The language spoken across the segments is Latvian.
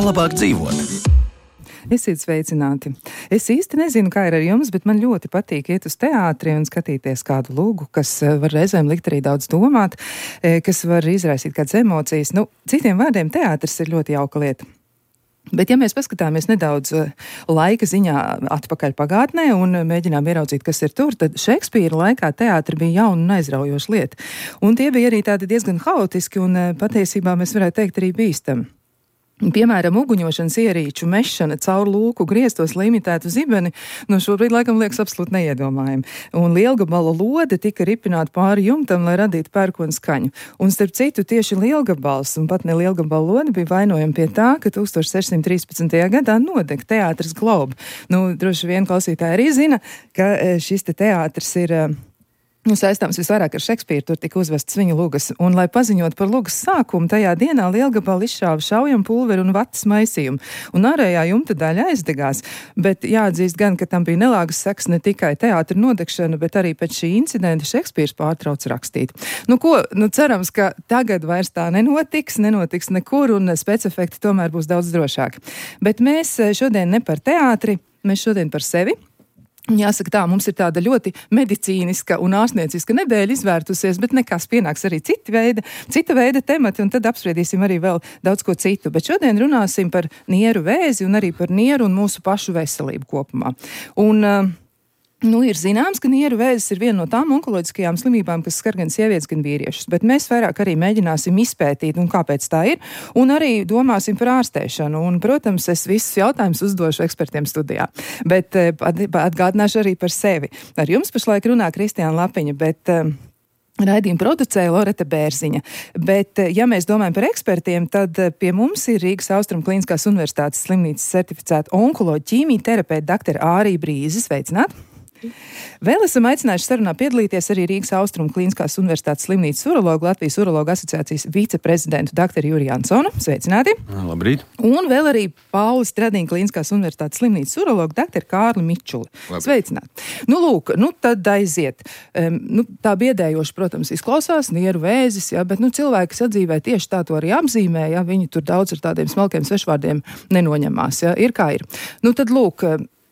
labāk dzīvot. Esiet sveicināti. Es īsti nezinu, kā ir ar jums, bet man ļoti patīk iet uz teātri un skatīties kādu lūgu, kas var reizēm likt arī daudz domāt, kas var izraisīt kādas emocijas. Citiem vārdiem teātris ir ļoti jauka lieta. Bet ja mēs paskatāmies nedaudz laika ziņā atpakaļ pagātnē un mēģinām ieraudzīt, kas ir tur, tad Šekspīra laikā teātri bija jauna un aizraujoša lieta. Un tie bija arī tādi diezgan haotiski un patiesībā mēs varētu teikt arī bīstami. Piemēram, uguņošanas ierīču mešana caur lūku grieztos limitētu zibeni, šobrīd laikam liekas absolūti neiedomājami. Un lielgabala lode tika ripināta pāri jumtam, lai radītu pērkonu skaņu. Un starp citu, tieši lielgabals un pat ne lielgabala lode bija vainojama pie tā, ka 1613. gadā nodega teātris Globe. Droši vien klausītāji arī zina, ka šis teātris ir saistāms visvairāk ar Šekspīru, tur tika uzvests viņa lugas, un, lai paziņot par lugas sākumu, tajā dienā lielgabali izšāva šaujam pulveri un vatas maisījumu, un ārējā jumta daļa aizdegās, bet jāatzīst gan, ka tam bija nelāgas sekas ne tikai teātra nodegšana, bet arī pēc šī incidenta Šekspīrs pārtrauc rakstīt. Cerams, ka tagad vairs tā nenotiks nekur, un specefekti tomēr būs daudz drošāki. Bet mēs šodien ne par teātri, mēs šodien par sevi. Jāsaka tā, mums ir tāda ļoti medicīniska un ārstnieciska nedēļa izvērtusies, bet nekas pienāks arī cita veida temati, un tad apspriedīsim arī vēl daudz ko citu. Bet šodien runāsim par nieru vēzi un arī par nieru un mūsu pašu veselību kopumā. Ir zināms, ka nieru vēzis ir viena no tām onkoloģiskajām slimībām, kas skar gan sievietes, gan vīriešus, bet mēs vairāk arī mēģināsim izpētīt, un kāpēc tā ir, un arī domāsim par ārstēšanu. Un, protams, es visus jautājumus uzdošu ekspertiem studijā, bet atgādināšu arī par sevi. Ar jums pašlaik runā Kristiāna Lapiņa, bet raidījumu producēja Loreta Bērziņa. Bet, ja mēs domājam par ekspertiem, tad pie mums ir Rīgas Austrumu Kliniskās Universitātes slimnīcas certificēta onkoloģa ķīmijterapeita doktora Ārija Brīze. Sveicināti! Vēl esam aicinājuši sarunā piedalīties arī Rīgas Austrumu Kliniskās Universitātes slimnīcas urologu, Latvijas urologu asociācijas viceprezidentu doktoru Juriju Jansonu. Sveicināti! Labrīt! Un vēl arī Pauli Stradiņa Kliniskās Universitātes slimnīcas urologu doktoru Kārli Mičuli. Labrīt. Sveicināti! Tad aiziet. Tā biedējoši, protams, izklausās nieru vēzis, bet cilvēki sadzīvē tieši tā to arī apzīmē, viņi tur daudz ar tādiem smalkiem svešvārdiem nenoņemās, ir kā ir.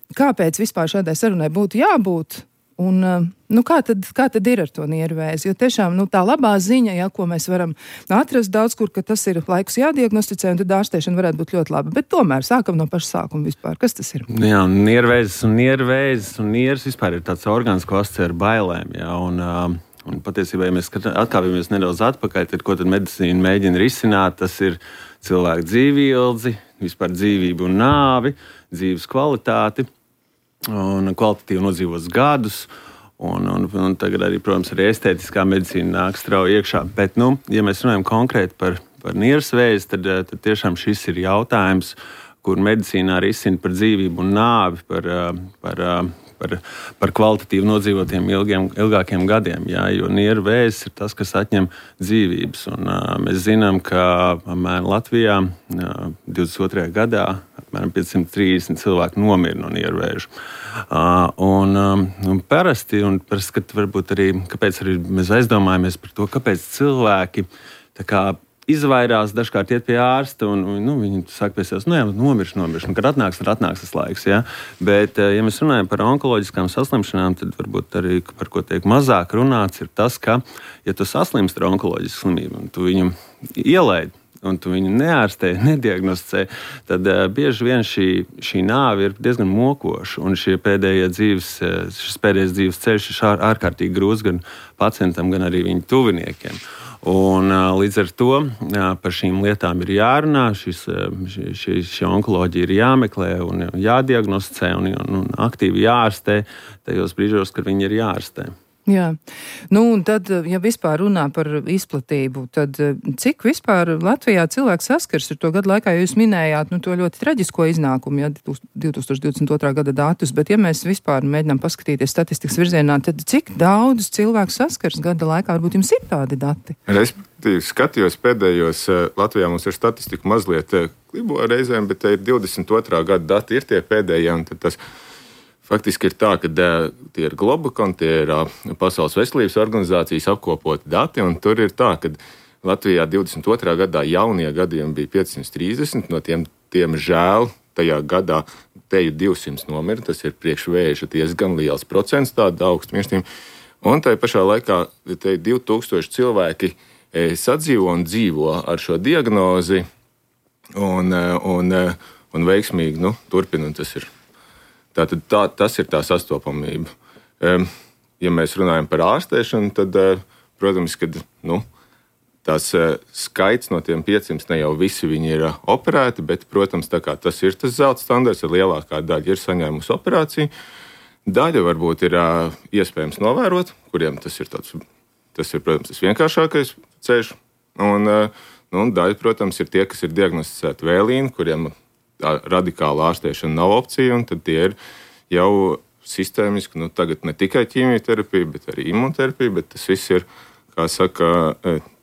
Kāpēc vispār šādai sarunai būtu jābūt? Un kā tad ir ar to nieru vēzi? Jo tiešām tā labā ziņa, ko mēs varam atrast daudz kur, ka tas ir laikus jādiagnosticē, un tad ārstēšana varētu būt ļoti laba. Bet tomēr sākam no paša sākuma vispār. Kas tas ir? Jā, nieru vēzis un nieras vispār ir tāds orgāns, ko asociē ar bailēm. Jā, un patiesībā, ja mēs atkāpjamies nedaudz atpakaļ, tad ko tad medicīna mēģina risināt? Tas ir cilvēku dzīvildzi, vispār dzīvību un nāvi, dzīves kvalitāti un kvalitatīvi nodzīvots gadus. Un tagad arī, protams, arī estētiskā medicīna nāk strauji iekšā. Bet, ja mēs runājam konkrēti par nieras vēzi, tad tiešām šis ir jautājums, kur medicīnā risina par dzīvību un nāvi, par kvalitatīvi nodzīvotiem ilgākiem gadiem. Jā, jo nieru vēzis ir tas, kas atņem dzīvības. Un, mēs zinām, ka Latvijā 22. gadā apmēram 530 cilvēki nomira no nieru vēža. Parasti, kad varbūt arī, kāpēc arī mēs aizdomājamies par to, kāpēc cilvēki izvairās, dažkārt iet pie ārsta, un viņi saka pie sevis, nomirš, un kad atnāks tas laiks. Ja? Bet, ja mēs runājam par onkoloģiskām saslimšanām, tad varbūt arī, par ko tiek mazāk runāts, ir tas, ka, ja tu saslimst ar onkoloģisku slimību, un tu viņu ielaid, un tu viņu neārstē, nediagnosticē, tad bieži vien šī nāve ir diezgan mokoša, un šis pēdējais dzīves ceļš ir ārkārtīgi grūts gan pacientam, gan arī viņu tuviniekiem. Un, līdz ar to par šīm lietām ir jārunā, šī onkoloģija ir jāmeklē un jādiagnosticē un aktīvi jārastē tajos brīžos, kad viņi ir jārastē. Jā, un tad, ja vispār runā par izplatību, tad cik vispār Latvijā cilvēks saskars ar to gadu laikā, jo jūs minējāt to ļoti traģisko iznākumu, 2022. gada datus, bet ja mēs vispār mēģinām paskatīties statistikas virzienā, tad cik daudz cilvēku saskars gada laikā, varbūt jums ir tādi dati? Respektīvi, skatījos pēdējos, Latvijā mums ir statistika mazliet klibo reizēm, bet te ir 22. gada dati, ir tie pēdējie, un tad tas faktiski ir tā, ka tie ir Globokon, tie ir Pasaules veselības organizācijas apkopoti dati, un tur ir tā, ka Latvijā 22. gadā jaunie gadījumi bija 530, no tiem žēl tajā gadā teju 200 nomira, tas ir priekšvēža diezgan liels procents, tāda augsta mirstība. Un tajā pašā laikā te 2000 cilvēki sadzīvo un dzīvo ar šo diagnozi un veiksmīgi turpina, un tas ir. Tas ir tā sastopamība. Ja mēs runājam par ārstēšanu, tad, protams, kad tās skaits no tiem 500 ne jau visi viņi ir operēti, bet, protams, tā kā tas ir tas zelta standarts, ar lielākā daļa ir saņēmusi operāciju. Daļa varbūt ir iespējams novērot, kuriem tas ir, protams, tas vienkāršākais ceļš. Un daļa, protams, ir tie, kas ir diagnosticēti vēlīni, kuriem radikāla ārstēšana nav opcija, un tad tie ir jau sistēmiski, tagad ne tikai ķīmijterapija, bet arī imunterapija, bet tas viss ir, kā saka,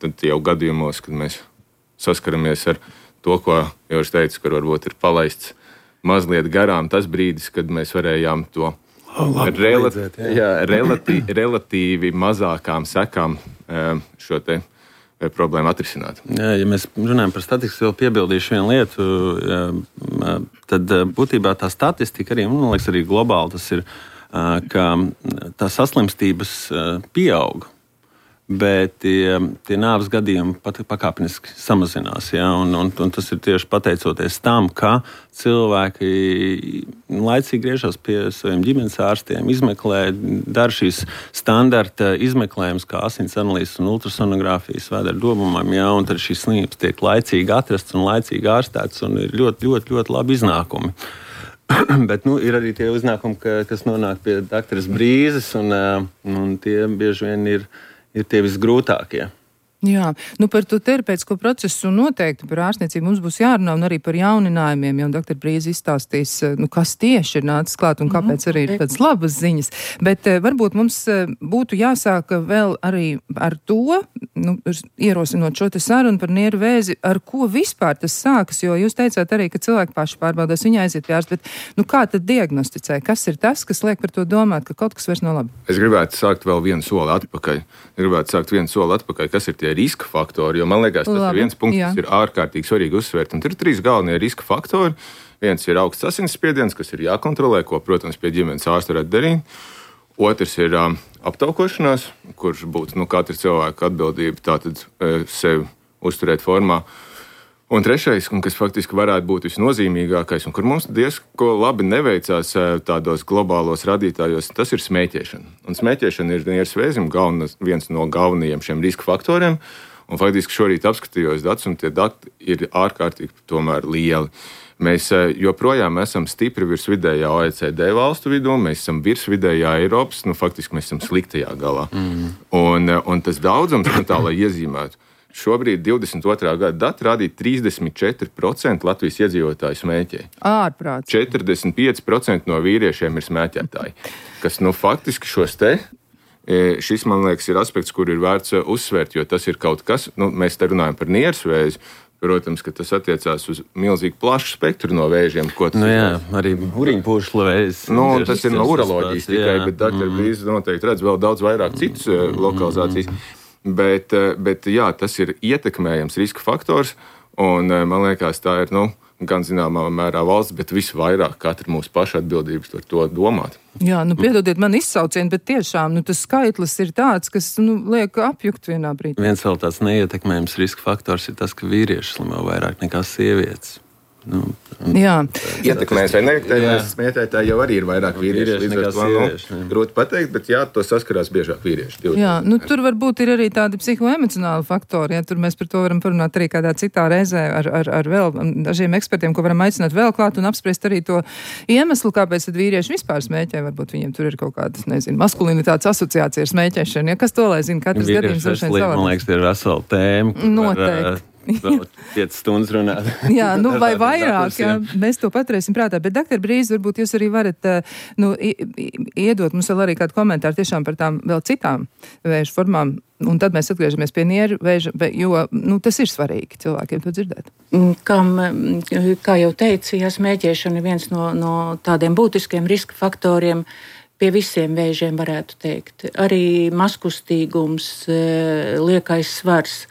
tad jau gadījumos, kad mēs saskaramies ar to, ko jau es teicu, kur varbūt ir palaists mazliet garām tas brīdis, kad mēs varējām to relatīvi mazākām sekām šo te problēmu atrisināt. Jā, ja mēs runājam par statistiku, vēl piebildīšu vienu lietu, tad būtībā tā statistika arī, man liekas, arī globāli tas ir, ka tā saslimstības pieaug, bet tie nāves gadījumi pakāpeniski samazinās. Ja? Un tas ir tieši pateicoties tam, ka cilvēki laicīgi griežas pie saviem ģimenes ārstiem, izmeklē, dara šīs standarta izmeklējumus, kā asins analīzes un ultrasonogrāfijas vēdera domumam, ja? Un tad šīs slimības tiek laicīgi atrasts un laicīgi ārstēts, un ir ļoti, ļoti, ļoti labi iznākumi. Bet ir arī tie iznākumi, kas nonāk pie doktoras Brīzes, un tie bieži vien ir tie visgrūtākie. Jā, par to terapeitisko procesu noteikti par ārstniecību mums būs jārunā un arī par jauninājumiem, jo doktor Brīze izstāstīs, kas tieši ir nācis klāt un kāpēc arī ir tādas labas ziņas. Bet varbūt mums būtu jāsāk vēl arī ar to, ierosinot šo te sarunu par nieru vēzi, ar ko vispār tas sākas, jo jūs teicāt arī, ka cilvēki paši pārbaudās, viņi aiziet pie ārsta, bet kā tad diagnosticē? Kas ir tas, kas liek par to domāt, ka kaut kas vairs nav labi? Es gribētu sākt vēl vienu soli atpakaļ. Kas ir tie riska faktori, jo man liekas, tas ir viens punkts, kas ir ārkārtīgi svarīgi uzsvērt. Un tur ir 3 galvenie riska faktori. Viens ir augsts asinsspiediens, kas ir jākontrolē, ko, protams, pie ģimenes ārsta varētu darīt. Otrs ir aptaukošanās, kurš būtu katra cilvēka atbildība tātad sevi uzturēt formā. Un trešais, kas faktiski varētu būt visnozīmīgākais, un kur mums diezko labi neveicās tādos globālos radītājos, tas ir smēķēšana. Un smēķēšana ir nieres vēzim viens no galvenajiem šiem riska faktoriem. Un faktiski šorīt apskatījos datus, un tie dati ir ārkārtīgi tomēr lieli. Mēs joprojām esam stipri virs vidējā OECD valstu vidū, mēs esam virs vidējā Eiropas, faktiski mēs esam sliktajā galā. Un tas daudzums, tā lai iezīmētu, šobrīd 22. gada dati rādīja 34% Latvijas iedzīvotāju smēķē. Ārprāts. 45% no vīriešiem ir smēķētāji. Kas faktiski šis, man liekas, ir aspekts, kur ir vērts uzsvērt, jo tas ir kaut kas, mēs te runājam par nieres vēzi. Protams, ka tas attiecās uz milzīgi plašu spektru no vēžiem. Arī uriņpūšļu vēzis. Tas ir no uroloģijas tikai, bet doktor Brīze noteikti redz vēl daudz vairāk citas lokalizācijas. Bet jā, tas ir ietekmējams riska faktors, un man liekas, tā ir, gan zināmā mērā valsts, bet visvairāk katra mūsu paša atbildības par to domāt. Jā, piedodiet man izsaucienu, bet tiešām, tas skaitlis ir tāds, kas, liek apjukt vienā brīdī. Viens vēl tāds neietekmējams riska faktors ir tas, ka vīrieši slimo vairāk nekā sievietes. Ietekmēs vai neietekmēs smēķētāji jau arī ir vairāk vīrieši, līdz ar to grūti pateikt, bet to saskarās biežāk vīrieši. Tur varbūt ir arī tādi psihoemocionāli faktori, tur mēs par to varam parunāt arī kādā citā reizē ar vēl dažiem ekspertiem, ko varam aicināt vēl klāt un apspriest arī to iemeslu, kāpēc tad vīrieši vispār smēķē, varbūt viņiem tur ir kaut kādas, maskulinitātes asociācija ar smēķēšanu, kas to lai zina, katrs gadījums ir savādāk. Man liekas, tie ir vesela tēma. Noteikti. Vēl 5 stundas runāt. Jā, vai vairāk, mēs to paturēsim prātā. Bet, doktor Brīze, varbūt jūs arī varat iedot mums vēl arī kādu komentāru tiešām par tām vēl citām vēža formām. Un tad mēs atgriežamies pie nieru vēža, jo tas ir svarīgi cilvēkiem to dzirdēt. Kā jau teicu, smēķēšana ir viens no tādiem būtiskiem riska faktoriem. Pie visiem vēžiem varētu teikt. Arī mazkustīgums, liekais svars.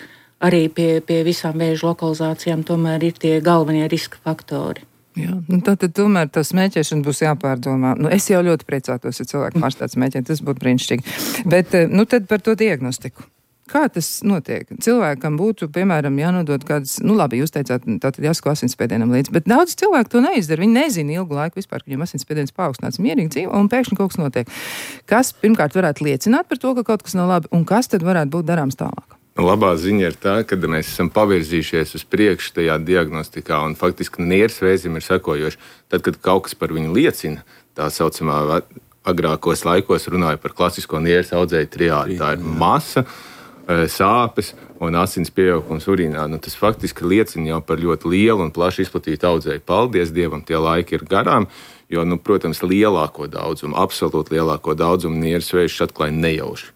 arī pie visām vēža lokalizācijām tomēr ir tie galvenie riska faktori. Jā, tad tomēr tā smēķēšana būs jāpārdomā. Es jau ļoti priecātos, ja cilvēki pārstātu smēķēt, tas būtu brīnišķīgi. Bet, tad par to diagnostiku. Kā tas notiek? Cilvēkam būtu, piemēram, jānodod kādas, labi, jūs teicāt, tātad jāsako asinsspiedienam līdz, bet daudz cilvēku to neizdara. Viņi nezina ilgu laiku vispār, ka viņam asinsspiediens paaugstināts, mierīgi dzīvo, un pēkšņi kaut kas notiek. Kas, pirmkārt, varētu liecināt par to, ka kaut kas nav labi, un kas tad varētu būt darāms tālāk? Labā ziņa ir tā, ka mēs esam pavirzījušies uz priekšu tajā diagnostikā, un faktiski nieres vēzim ir sekojoši. Tad, kad kaut kas par viņu liecina, tā saucamā agrākos laikos runāja par klasisko nieres audzēju triādi. Tā ir masa, sāpes un asins pieaugums urīnā. Tas faktiski liecina jau par ļoti lielu un plaši izplatītu audzēju. Paldies Dievam, tie laiki ir garām, jo, protams, lielāko daudzumu, absolūti lielāko daudzumu nieres vēžus atklāja nejauši.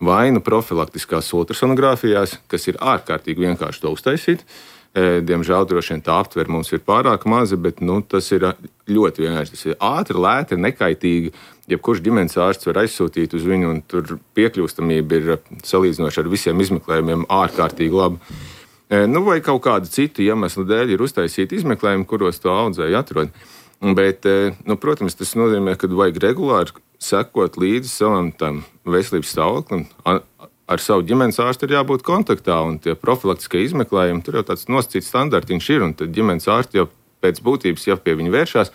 Vai profilaktiskās ultrasonogrāfijās, kas ir ārkārtīgi vienkārši to uztaisīt. Diemžēl droši vien tā aptver mums ir pārāk maza, bet tas ir ļoti vienkārši. Tas ir ātri, lēti, nekaitīgi. Jebkurš ģimenes ārsts var aizsūtīt uz viņu, un tur piekļūstamība ir salīdzinoši ar visiem izmeklējumiem ārkārtīgi laba. Vai kaut kādu citu iemeslu dēļ ir uztaisīti izmeklējumi, kuros to audzēju atrod. Bet, protams, tas nozīmē, ka vajag regulāri sekot līdzi savam tam veselības stāvoklim. Ar savu ģimenes ārstu ir jābūt kontaktā, un tie profilaktiskie izmeklējumi, tur jau tāds nosacīts standartiņš ir, un tad ģimenes ārsti jau pēc būtības, ja pie viņa vēršās,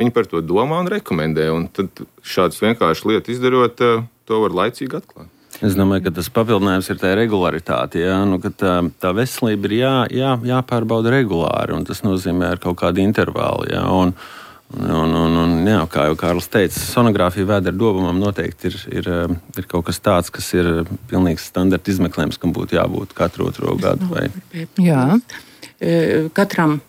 viņi par to domā un rekomendē, un tad šādas vienkāršas lietas izdarot, to var laicīgi atklāt. Es domāju, ka tas papildinājums ir tā regularitāte, ka tā veselība ir jāpārbauda regulāri, un tas nozīmē ar kaut kādu intervālu, Un, kā jau Kārlis teica, sonogrāfija vēdera dobumam noteikti ir kaut kas tāds, kas ir pilnīgs standarta izmeklējums, kam būtu jābūt katru otro gadu. Jā. Katram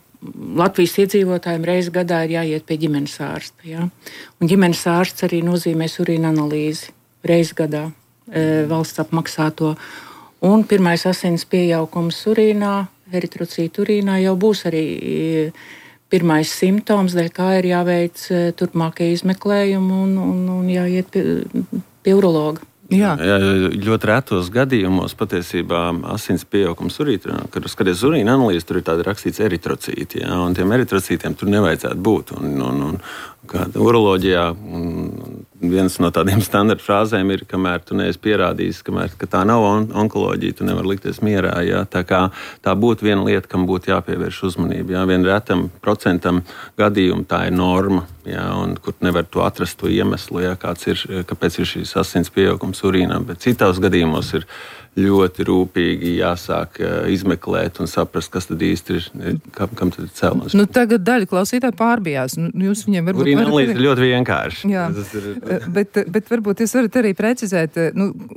Latvijas iedzīvotājiem reizi gadā ir jāiet pie ģimenes ārsta. Ja? Un ģimenes ārsts arī nozīmēs urīna analīzi reizi gadā, valsts apmaksāto. Un pirmais asins pieaugums urīnā, eritrocītu urīnā jau būs arī pirmais simptoms, dēļ kā ir jāveic turpmākie izmeklējumi un jāiet pie urologa. Jā, ļoti retos gadījumos patiesībā asins pieaugums urīnā, kad skaties urīna analīzi, tur ir tāda rakstīts eritrocīti, un tiem eritrocītiem tur nevajadzētu būt. Uroloģijā viens no tādiem standarta frāzēm ir, kamēr tu neesi pierādījis, ka tā nav onkoloģija, tu nevari likties mierā. Ja? Tā būtu viena lieta, kam būtu jāpievērš uzmanība. Ja? Vien retam procentam gadījumu tā ir norma, ja? Un kur nevar to atrast to iemeslu, ja? Kāpēc ir šīs asins pieaugums urīnā. Bet citos gadījumos ir ļoti rūpīgi jāsāk izmeklēt un saprast, kas tad īsti ir, kam tad ir cēlonis. Tagad daļa klausītāji pārbijās. Jūs viņiem varbūt urīna analīze ir ļoti vienkārši. Jā, bet varbūt jūs varat arī precizēt,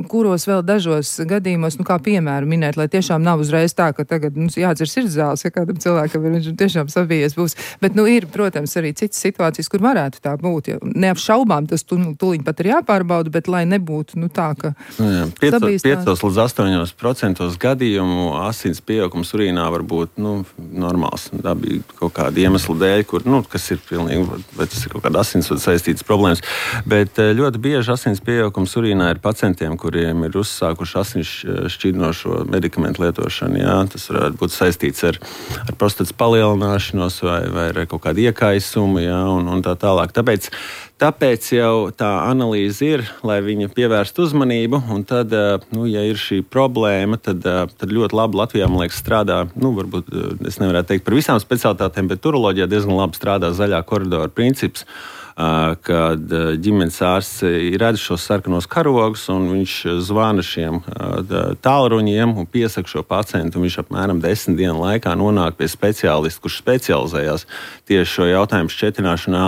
kuros vēl dažos gadījumos, kā piemēru minēt, lai tiešām nav uzreiz tā, ka tagad jādzer sirdzāles, ja kādam cilvēkam viņš tiešām sabijies būs. Bet, ir, protams, arī citas situācijas, kur varētu tā būt. Ja neapšaubām tas tūliņ pat ir jāpārbauda, bet lai nebūtu, tā, ka sabīstās. 8% gadījumu asins pieaugums urīnā var būt normāls. Tā bija kaut kāda iemesla dēļ, kas ir pilnīgi, vai tas ir kaut kāda asinsvadu saistītas problēmas. Bet ļoti bieži asins pieaugums urīnā ir pacientiem, kuriem ir uzsākuši asins šķidrinošo medikamentu lietošanu. Jā. Tas varētu būt saistīts ar prostatas palielināšanos vai ar kaut kādu iekaisumu, un tā tālāk. Tāpēc jau tā analīze ir, lai viņa pievērstu uzmanību, un tad, ja ir šī problēma, tad ļoti labi Latvijā, man liekas, strādā, varbūt es nevarētu teikt par visām specialitātēm, bet uroloģijā diezgan labi strādā zaļā koridora princips, kad ģimenes ārsts redz šos sarkanos karogus, un viņš zvana šiem tālruņiem un piesaka šo pacientu, un viņš apmēram 10 dienu laikā nonāk pie speciālista, kurš specializējās tieši šo jautājumu šķetināšanā,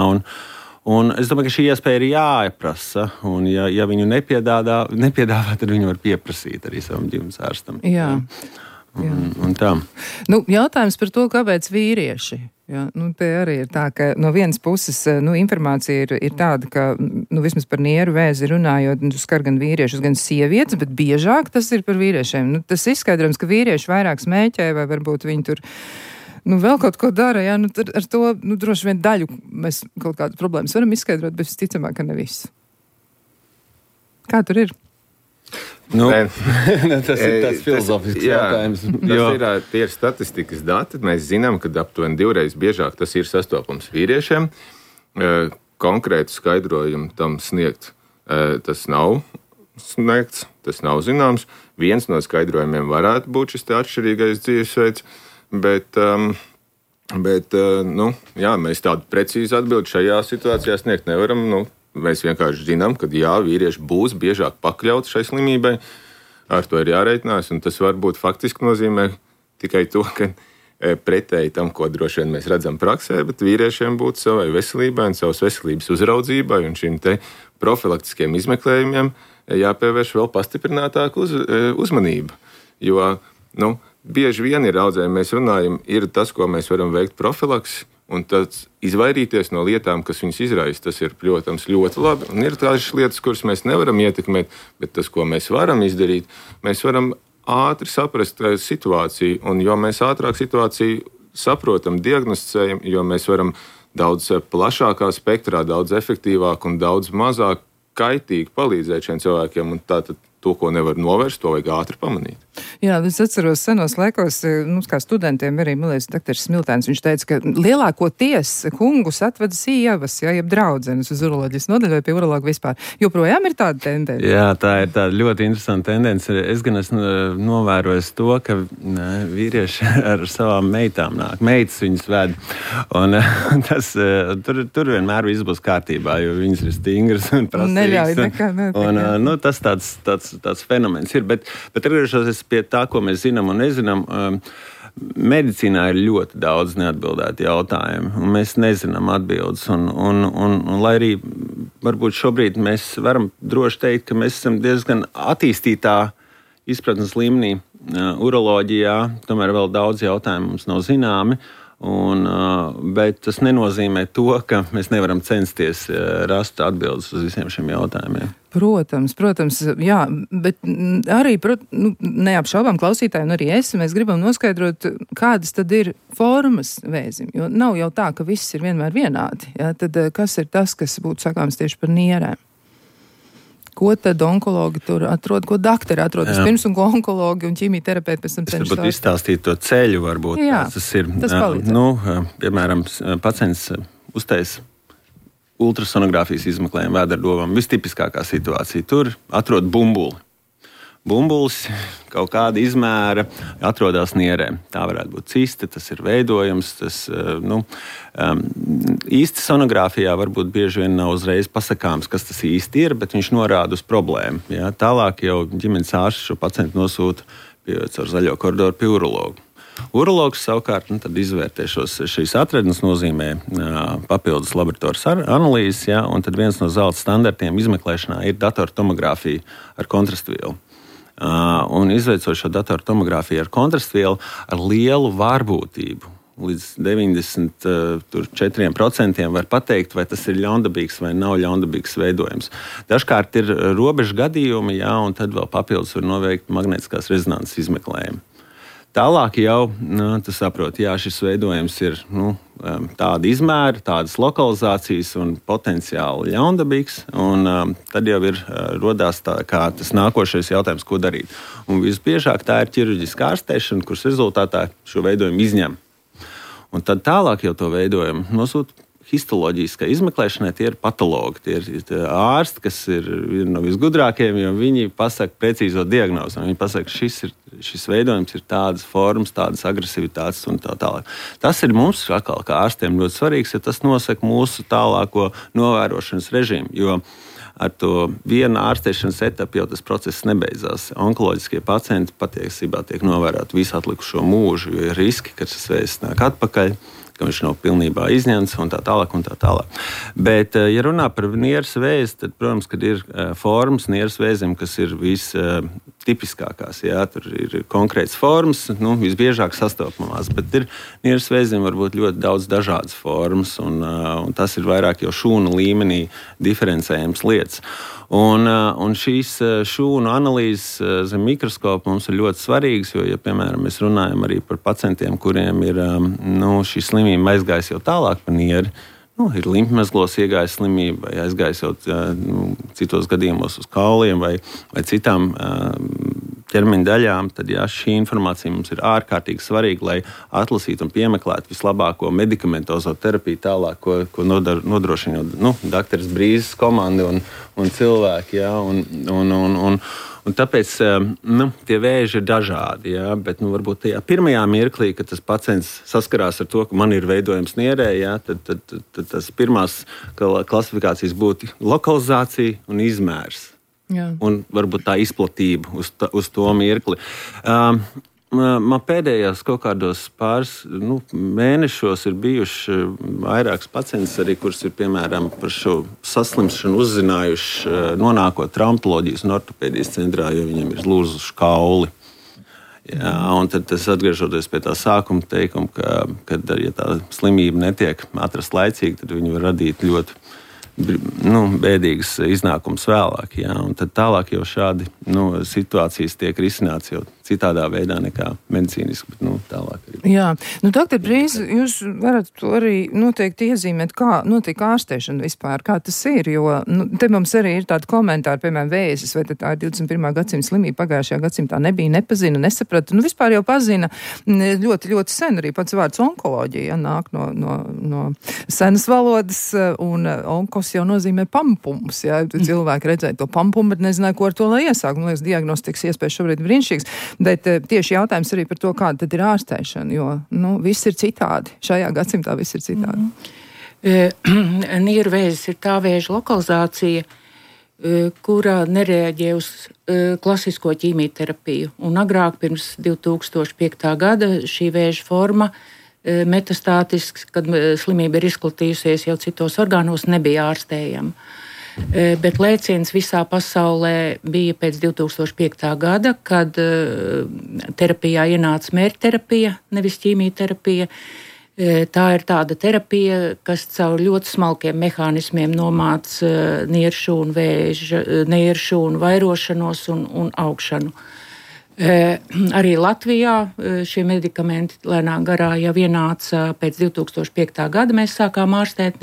un es domāju, ka šī iespēja ir jāprasa, un ja viņu nepiedāvā, tad viņu var pieprasīt arī savam ģimenes ārstam. Jā. Un tā. Jautājums par to, kāpēc vīrieši? Jā, te arī ir tā, ka no vienas puses informācija ir tāda, ka vismaz par nieru vēzi runājot, skar gan vīriešus, gan sievietes, bet biežāk tas ir par vīriešiem. Tas izskaidrojums, ka vīrieši vairāk smēķē vai varbūt viņi tur vēl kaut ko dara, tad ar to droši vien daļu mēs kaut kādas problēmas varam izskaidrot, bet visticamāk, ka ne visu. Kā tur ir? Tas ir tāds filozofisks jautājums. Tie ir statistikas dati. Mēs zinām, ka aptuveni 2 reizes biežāk tas ir sastopams vīriešiem. Konkrētu skaidrojumu tam sniegt tas nav sniegts, tas nav zināms. Viens no skaidrojumiem varētu būt šis atšķirīgais dzīvesveids, bet mēs tādu precīzu atbildi šajā situācijā sniegt nevaram. Mēs vienkārši zinām, ka vīrieši būs biežāk pakļauti šai slimībai. Ar to ir jārēķinās, un tas varbūt faktiski nozīmē tikai to, ka pretēji tam, ko droši vien mēs redzam praksē, bet vīriešiem būtu savai veselībai un savas veselības uzraudzībai un šīm te profilaktiskiem izmeklējumiem jāpievērš vēl pastiprinātāka uzmanība. Jo, bieži vien ir audzējumi, mēs runājam, ir tas, ko mēs varam veikt profilaksi, un tad izvairīties no lietām, kas viņus izraisa, tas ir, protams, ļoti labi. Un ir tādas lietas, kuras mēs nevaram ietekmēt, bet tas, ko mēs varam izdarīt, mēs varam ātri saprast situāciju. Un jo mēs ātrāk situāciju saprotam, diagnosticējam, jo mēs varam daudz plašākā spektrā, daudz efektīvāk un daudz mazāk kaitīgi palīdzēt šiem cilvēkiem. Un tātad to, ko nevar novērst, to vajag ātri pamanīt. Jā, es atceros senos laikos, kā studentiem arī, man liekas, doktoris Smiltēns, viņš teica, ka lielākoties kungus atveda sievas, jeb draudzenes uz uroloģijas nodaļu vai pie urologa vispār. Joprojām ir tāda tendence? Jā, tā ir tāda ļoti interesanta tendence. Es gan esmu novērojis to, ka vīrieši ar savām meitām nāk. Meitas viņas ved. Un tas, tur vienmēr viss būs kārtībā, jo viņas ir stingras un prasīgas. Neļauj nekā. Un tas tāds fenomens ir. Bet atgriežoties pie tā, ko mēs zinām un nezinām, medicīnā ir ļoti daudz neatbildētu jautājumu, un mēs nezinām atbildes. Un lai arī varbūt šobrīd mēs varam droši teikt, ka mēs esam diezgan attīstītā izpratnes līmenī uroloģijā, tomēr vēl daudz jautājumu mums nav zināmi. Bet tas nenozīmē to, ka mēs nevaram censties rast atbildes uz visiem šiem jautājumiem. Protams, jā, bet arī, neapšaubām klausītāji un arī mēs gribam noskaidrot, kādas tad ir formas vēzim, jo nav jau tā, ka viss ir vienmēr vienādi. Jā, tad kas ir tas, kas būtu sakāms tieši par nierēm? Ko tad onkologi tur atrod, ko doktori atrod vispirms un ko onkologi un ķīmijterapeiti pēc tam cenšas? Varbūt izstāstīt to ceļu, varbūt. Jā, tas ir. Tas palīdz. Piemēram, pacients uztaisa ultrasonogrāfijas izmeklējumu vēderdovam. Vistipiskākā situācija. Tur atrod bumbuli. Bumbulis kaut kāda izmēra atrodas nierē. Tā varētu būt ciste, tas ir veidojums. Īsti sonogrāfijā varbūt bieži vien nav uzreiz pasakāms, kas tas īsti ir, bet viņš norāda uz problēmu. Ja? Tālāk jau ģimenes ārsts šo pacientu nosūta caur zaļo koridoru pie urologa. Urologs savukārt izvērtē šīs atradnes, nozīmē papildus laboratorijas analīzes, ja? Un tad viens no zelta standartiem izmeklēšanā ir datortomogrāfija ar kontrastvielu. Un izveicot šo datortomogrāfiju ar kontrastvielu ar lielu vārbūtību. Līdz 94% var pateikt, vai tas ir ļaundabīgs vai nav ļaundabīgs veidojums. Dažkārt ir robežu gadījumi, jā, un tad vēl papildus var noveikt magnētiskās rezonanses izmeklējumu. Tālāk jau, tu saproti, jā, šis veidojums ir tāda izmēra, tādas lokalizācijas un potenciāli ļaundabīgs, un tad jau ir rodās tas nākošais jautājums, ko darīt. Un visbiežāk tā ir ķirurģiska ārstēšana, kuras rezultātā šo veidojumu izņem. Un tad tālāk jau to veidojumu nosūta histoloģiskai izmeklēšanai, tie ir patologi, tie ir ārsti, kas ir no visgudrākajiem, jo viņi pasaka precīzo diagnozi. Viņi pasaka, šis veidojums ir tādas formas, tādas agresivitātes un tā tālāk. Tas ir mums, atkal, kā ārstiem, ļoti svarīgs, jo tas nosaka mūsu tālāko novērošanas režīmu, jo ar to vienu ārstēšanas etapu jau tas process nebeidzās. Onkoloģiskie pacienti patiesībā tiek novēroti visu atlikušo mūžu, jo ir riski, ka šis vēzis nāk atpakaļ, ka viņš nav pilnībā izņemts un tā tālāk un tā tālāk. Bet, ja runā par nieres vēzi, tad, protams, kad ir formas nieres vēzim, kas ir vistipiskākās, jā, tur ir konkrētas formas, visbiežāk sastopamās, bet ir nieres vēzim varbūt ļoti daudz dažādas formas, un tas ir vairāk jau šūnu līmenī diferencējams lietas. Un šīs šūnu analīzes zem mikroskopa mums ir ļoti svarīgas, jo, ja, piemēram, mēs runājam arī par pacientiem, kuriem ir šī slimība aizgājis jau tālāk pa nieri, ir limpmezglos iegājis slimība, vai aizgājis jau citos gadījumos uz kauliem vai citām ķermeņa daļām, tad šī informācija mums ir ārkārtīgi svarīga, lai atlasītu un piemeklētu vislabāko medikamentozo terapiju tālāk, ko nodrošina dakteris Brīzes komanda un cilvēki. Ja, un tāpēc tie vēži ir dažādi, ja, bet varbūt tajā pirmajā mirklī, kad tas pacients saskarās ar to, ka man ir veidojums nierē, ja, tad tas pirmās klasifikācijas būtu lokalizācija un izmērs. Jā. Un varbūt tā izplatība uz to mirkli. Man pēdējās kaut kādos pāris mēnešos ir bijuši vairākas pacientus, arī, kurus ir piemēram par šo saslimšanu uzzinājuši, nonākot traumatoloģijas un ortopēdijas centrā, jo viņiem ir lūzuši kauli. Jā, un tad atgriežoties pie tā sākuma teikuma, ka ja tā slimība netiek atrasta laicīgi, tad viņi var radīt ļoti bēdīgas iznākums vēlāk. Jā, un tad tālāk jau šādi situācijas tiek risināts jau citādā veidā nekā medicīniski, bet tālāk arī. Jā, doktor Brīze, jūs varat to arī noteikti iezīmēt, kā notiek ārstēšana vispār, kā tas ir, jo te mums arī ir tādi komentāri, piemēram, vēzis, vai tā ir 21. gadsimta slimība, pagājušajā gadsimtā nebija, nepazina, nesaprata, vispār jau pazina ļoti, ļoti sen, arī pats vārds onkoloģija, nāk no senas valodas, un onkos jau nozīmē pampums, ja cilvēki redzēja to pampumu, bet nezināja, ko ar to lai iesāk. Man liekas, diagnostikas iespējas šobrīd brīnišķīgs, bet tieši jautājums arī par to, kāda tad ir ārstēšana, jo, viss ir citādi. Šajā gadsimtā viss ir citādi. Nieru vēzis ir tā vēža lokalizācija, kurā nereaģē uz klasisko ķīmijterapiju. Un agrāk, pirms 2005. gada, šī vēža forma metastātisks, kad slimība ir izplatījusies jau citos orgānos, nebija ārstējama. Bet lēciens visā pasaulē bija pēc 2005. gada, kad terapijā ienāca mērķterapija, nevis ķīmijterapija. Tā ir tāda terapija, kas caur ļoti smalkiem mehānismiem nomāca nieru šūnu vairošanos un augšanu. Arī Latvijā šie medikamenti lēnā garā jau ienāca pēc 2005. gada. Mēs sākām ārstēt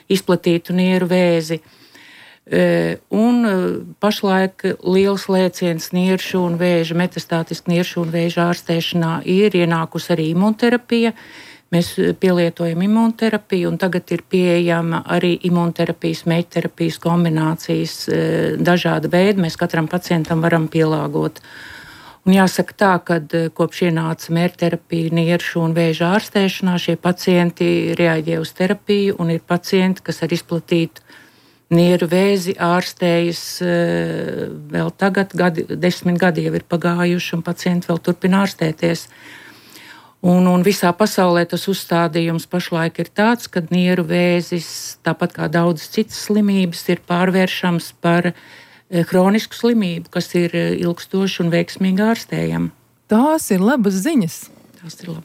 izplatītu nieru vēzi. Un pašlaik liels lēciens nieru šūnu vēža, metastātiska nieru šūnu vēža ārstēšanā ir ienākusi arī imunterapija. Mēs pielietojam imunterapiju, un tagad ir pieejama arī imunterapijas, meiķterapijas kombinācijas dažāda veida. Mēs katram pacientam varam pielāgot. Un jāsaka tā, ka kopš ienāca mērķterapija nieru šūnu vēža ārstēšanā, šie pacienti reaģē uz terapiju, un ir pacienti, kas ar izplatītu nieru vēzi ārstējas vēl tagad, 10 gadi jau ir pagājuši, un pacienti vēl turpina ārstēties. Un visā pasaulē tas uzstādījums pašlaik ir tāds, ka nieru vēzis, tāpat kā daudzas citas slimības, ir pārvēršams par hronisku slimību, kas ir ilgstoši un veiksmīgi ārstējama. Tās ir labas ziņas.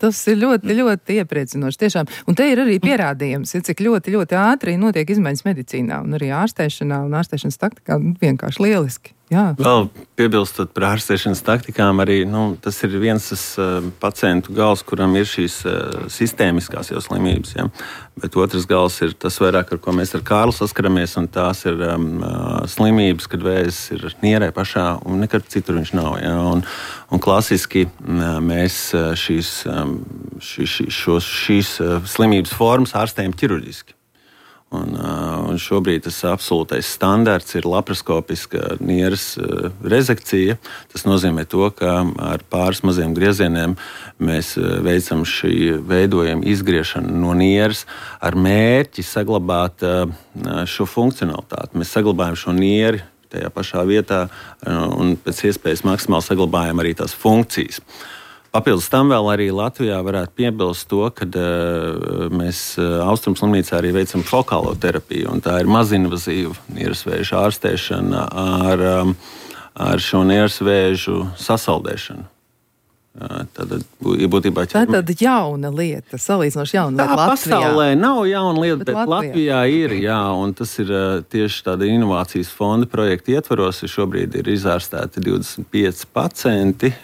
Tas ir ļoti, ļoti iepriecinoši tiešām. Un te ir arī pierādījums, cik ļoti, ļoti ātri notiek izmaiņas medicīnā un arī ārstēšanā un ārstēšanas taktikā vienkārši lieliski. Jā. Vēl piebilstot par ārstēšanas taktikām, arī tas ir viens pacientu gals, kuram ir šīs sistēmiskās jau slimības. Ja? Bet otrs gals ir tas vairāk, ar ko mēs ar Kārlu saskaramies, un tās ir slimības, kad vēzis ir nierē pašā, un nekad citur viņš nav. Ja? Un klasiski mēs šīs slimības formas ārstējam ķirurģiski. Un šobrīd tas absolūtais standarts ir laparoskopiska nieres rezekcija. Tas nozīmē to, ka ar pāris maziem griezieniem mēs veicam šī veidojuma izgriešanu no nieres ar mērķi saglabāt šo funkcionalitāti. Mēs saglabājam šo nieri tajā pašā vietā un pēc iespējas maksimāli saglabājam arī tās funkcijas. Papildus tam vēl arī Latvijā varētu piebilst to, ka mēs Austrumslimnīcā arī veicam fokālo terapiju, un tā ir mazinvazīva nieresvēža ārstēšana ar šo nieresvēžu sasaldēšanu. Tātad, būtībā, tā ir tāda jauna lieta, salīdzinoši jauna lieta Latvijā. Pasaulē nav jauna lieta, bet Latvijā ir, jā, un tas ir tieši tāda inovācijas fonda projekta ietvaros. Šobrīd ir izārstēti 25 pacienti,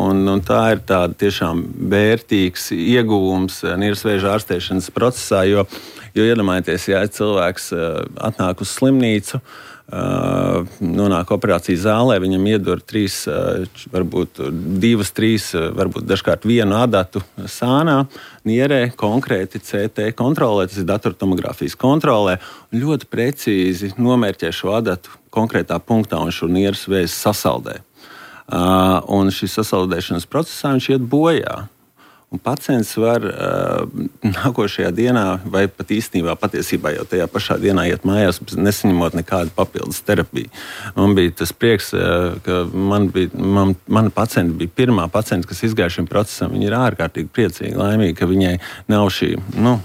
un tā ir tāda tiešām vērtīgs ieguvums nieresvēža ārstēšanas procesā, jo Jo iedomājieties, ja cilvēks atnāk uz slimnīcu, nonāk operācijas zālē, viņam iedur 3, varbūt 2, 3, varbūt dažkārt 1 adatu sānā, nierē, konkrēti CT kontrolē, tas ir datortomogrāfijas kontrolē, un ļoti precīzi nomērķē šo adatu konkrētā punktā un šo nieres vēzi sasaldē. Un šis sasaldēšanas procesā viņš iet bojā. Un pacients var nākošajā dienā, vai pat īstenībā patiesībā jau tajā pašā dienā iet mājās, nesaņemot nekādu papildus terapiju. Man bija tas prieks, ka mana pacienta bija pirmā pacienta, kas izgāja šim procesam. Viņa ir ārkārtīgi priecīga, laimīga, ka viņai nav šī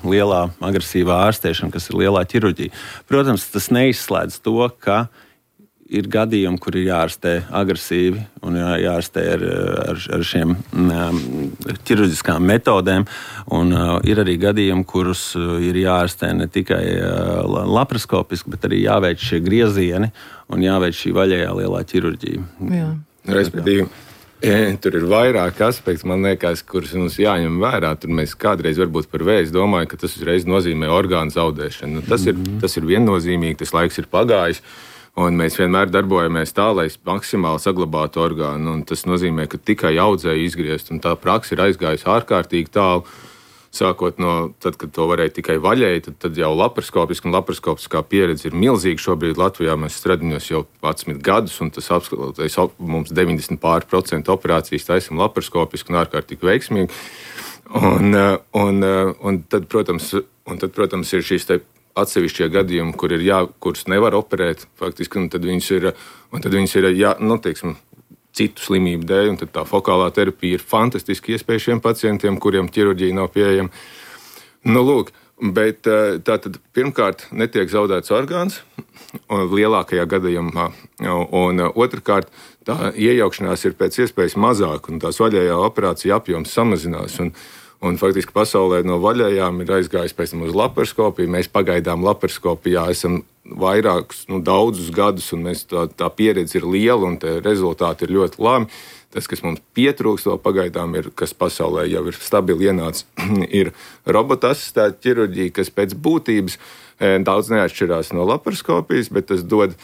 lielā agresīvā ārstēšana, kas ir lielā ķirurģija. Protams, tas neizslēdz to, ka ir gadījumi, kur ir jārastē agresīvi un jārastē ar šiem ķirurģiskām metodēm. Un ir arī gadījumi, kurus ir jārastē ne tikai laparoskopiski, bet arī jāveic šie griezieni un jāveic šī vaļējā lielā ķirurģija. Jā. Respektīvi, tur ir vairāk aspekti, man liekas, kurus mums jāņem vērā. Tur mēs kādreiz varbūt par vēzi domājam, ka tas uzreiz nozīmē orgānu zaudēšanu. Tas ir viennozīmīgi, tas laiks ir pagājis. Un mēs vienmēr darbojamies tā, lai maksimāli saglabātu orgānu. Un tas nozīmē, ka tikai audzēju izgriezt. Un tā praksa ir aizgājusi ārkārtīgi tālu. Sākot no tad, kad to varēja tikai vaļēji, tad jau laparoskopiski un laparoskopiskā pieredze ir milzīga. Šobrīd Latvijā mēs stradiņos jau 11 gadus, un tas apskatoties mums 90% operācijas taisam laparoskopiski un ārkārtīgi veiksmīgi. Un tad, protams, ir šīs te atsevišķie gadījumi, kurus nevar operēt, faktiski, un tad viņas ir teiksim, citu slimību dēļ, un tad tā fokālā terapija ir fantastiski iespēja šiem pacientiem, kuriem ķirurģija nav pieejama. Lūk, bet tātad pirmkārt netiek zaudēts orgāns, lielākajā gadījumā, un otrkārt tā iejaukšanās ir pēc iespējas mazāk, un tās vaļējā operācija apjoms samazinās, un faktiski pasaulē no vaļējām ir aizgājis pēc tam uz laparoskopiju. Mēs pagaidām laparoskopijā esam vairākus, daudzus gadus, un tā pieredze ir liela, un tie rezultāti ir ļoti labi. Tas, kas mums pietrūkst vēl pagaidām, kas pasaulē jau ir stabili ienācis, ir robota asistēta ķirurģija, kas pēc būtības daudz neatšķirās no laparoskopijas, bet tas dod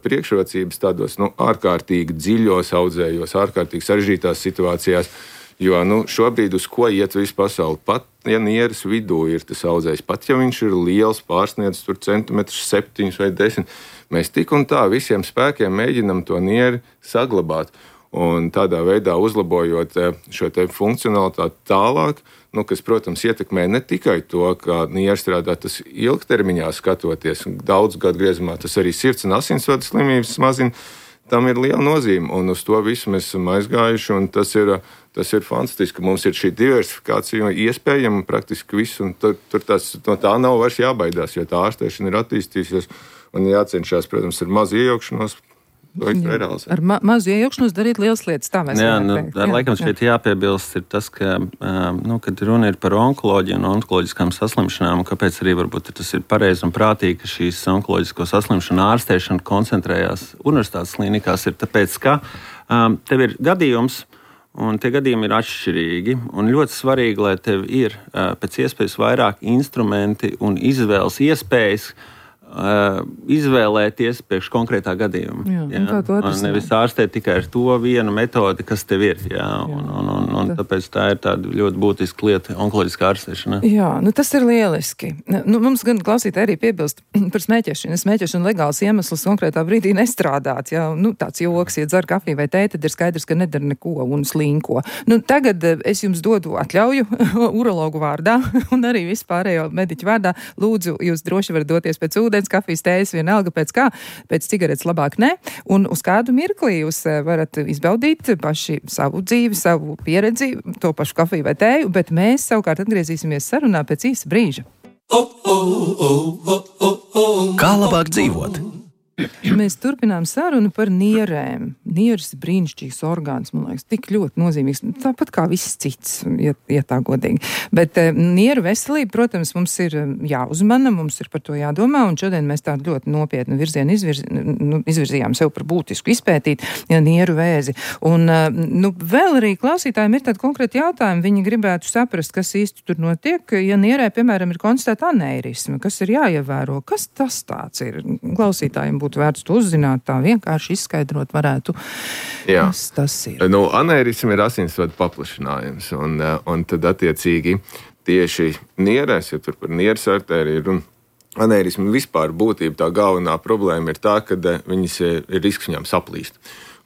priekšrocības tādos ārkārtīgi dziļos audzējos, ārkārtīgi sarežģītās situācijās. Jo šobrīd uz ko iet visu pasauli? Pat, ja nieres vidū ir tas audzējs, pat ja viņš ir liels, pārsniedz tur centimetrus 7 vai 10, mēs tik un tā visiem spēkiem mēģinam to nieri saglabāt. Un tādā veidā uzlabojot šo te funkcionalitāti tālāk, kas, protams, ietekmē ne tikai to, kā nieri strādā, tas ilgtermiņā skatoties, daudz gadu griezumā, tas arī sirds un asinsvadu slimības mazina. Tam ir liela nozīme, un uz to visu mēs esam aizgājuši, un tas ir fantastiski. Mums ir šī diversifikācija iespējama praktiski viss, un tur no tā nav vairs jābaidās, jo tā ārstēšana ir attīstījusies, un jācenšas, protams, ar mazu iejaukšanos. Ar mazu iejaukšanos darīt lielas lietas, tā mēs varam teikt. Laikam šeit jāpiebilst ir tas, ka, kad runa ir par onkoloģiju un onkoloģiskām saslimšanām, un kāpēc arī varbūt tas ir pareizi un prātīgi, ka šīs onkoloģisko saslimšanu ārstēšana koncentrējās universitātes klinikās, ir tāpēc, ka tev ir gadījums, un tie gadījumi ir atšķirīgi, un ļoti svarīgi, lai tev ir pēc iespējas vairāk instrumenti un izvēles iespējas, izvēlēties priekš konkrētā gadījuma. Nevis ārstēt tikai ar to vienu metodi, kas tev ir. Un tāpēc tā ir tāda ļoti būtiska lieta onkoloģiskā ārstēšana. Jā, tas ir lieliski. Mums gan klausītāji arī piebilst par smēķēšanu. Smēķēšana legāls iemesls konkrētā brīdī nestrādāt. Tāds joks, ja dzer kafiju vai tēju, tad ir skaidrs, ka nedara neko un slinko. Tagad es jums dodu atļauju urologu vārdā un arī vispārējo mediķu vārdā. Lūdzu, jūs droši varat doties pēc ūdens, kafijas, tējas, vienalga pēc kā, pēc cigaretes labāk ne, un uz kādu mirkli jūs varat izbaudīt paši savu dzīvi, savu pieredzi, to pašu kafiju vai tēju, bet mēs savukārt atgriezīsimies sarunā pēc īsa brīža. Kā labāk dzīvot? Mēs turpinām sarunu par nierēm. Nieres ir brīnišķīgs orgāns, man liekas, tik ļoti nozīmīgs. Tāpat kā viss cits, ja tā godīgi. Bet nieru veselība, protams, mums ir jāuzmana, mums ir par to jādomā, un šodien mēs tādu ļoti nopietnu virzienu izvirzījām sev par būtisku izpētīt nieru vēzi. Un vēl arī klausītājiem ir tādi konkrēti jautājumi. Viņi gribētu saprast, kas īsti tur notiek, ja nierē, piemēram, ir konstatēta aneirisma, kas ir jāievēro. Kas tas tāds ir? Klausītājiem būtu vērts to uzzināt, tā vienkārši izskaidrot varētu, kas tas ir. Aneirisma ir asinsvadu paplašinājums, un tad attiecīgi tieši nierēs, ja tur par nieres artēriju ir un aneirisma vispār būtība, tā galvenā problēma ir tā, ka viņas ir risks viņām saplīst.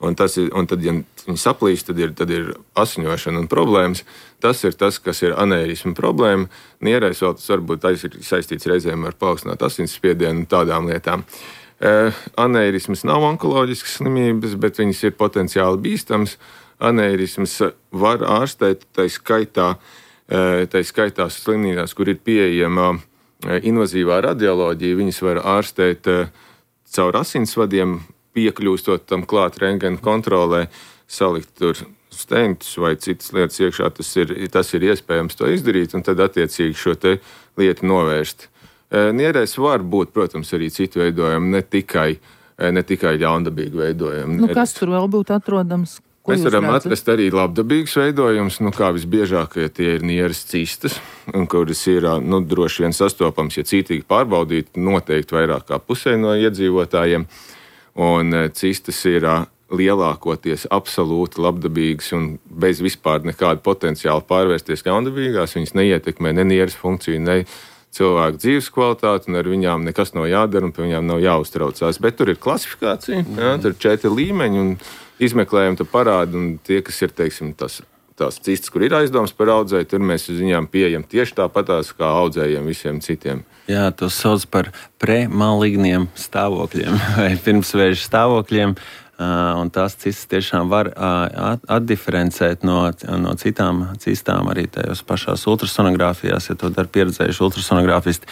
Un tad, ja viņi saplīst, tad ir asiņošana un problēmas. Tas ir tas, kas ir aneirisma problēma. Nierēs vēl tas varbūt saistīts reizēm ar paaugstinātu asinsspiedienu un tādām lietām. Aneirismas nav onkoloģiskas slimības, bet viņas ir potenciāli bīstamas. Aneirismas var ārstēt, tā skaitā slimnīcās, kur ir pieejama invazīvā radioloģija, viņas var ārstēt caur asinsvadiem, piekļūstot tam klāt rentgena kontrolē, salikt tur stentus vai citas lietas iekšā, tas ir iespējams to izdarīt, un tad attiecīgi šo te lietu novērst. Nierēs var būt, protams, arī citu veidojumi, ne tikai ļaundabīgi veidojumi. Kas tur vēl būtu atrodams? Mēs varam atrast arī labdabīgus veidojumus, kā visbiežākie tie ir nieres cistas, kuras ir droši vien sastopams, ja cītīgi pārbaudīt, noteikti vairāk kā pusē no iedzīvotājiem. Un cistas ir lielākoties absolūti labdabīgas un bez vispār nekāda potenciāla pārvērsties ļaundabīgās. Viņas neietekmē ne nieres funkciju, ne cilvēku dzīves kvalitāti, un ar viņām nekas nav jādara, un pie viņām nav jāuztraucās. Bet tur ir klasifikācija, tur ir 4 līmeņi, un izmeklējumi te parāda, un tie, kas ir, teiksim, tās cistas, kur ir aizdoms par audzēju, tur mēs uz viņām pieejam tieši tāpatās kā audzējiem visiem citiem. Jā, to sauc par premaligniem stāvokļiem vai pirmsvēža stāvokļiem, un tās cistas tiešām var atdiferencēt no citām cistām arī tajos pašās ultrasonogrāfijās, ja to dara pieredzējuši ultrasonogrāfisti.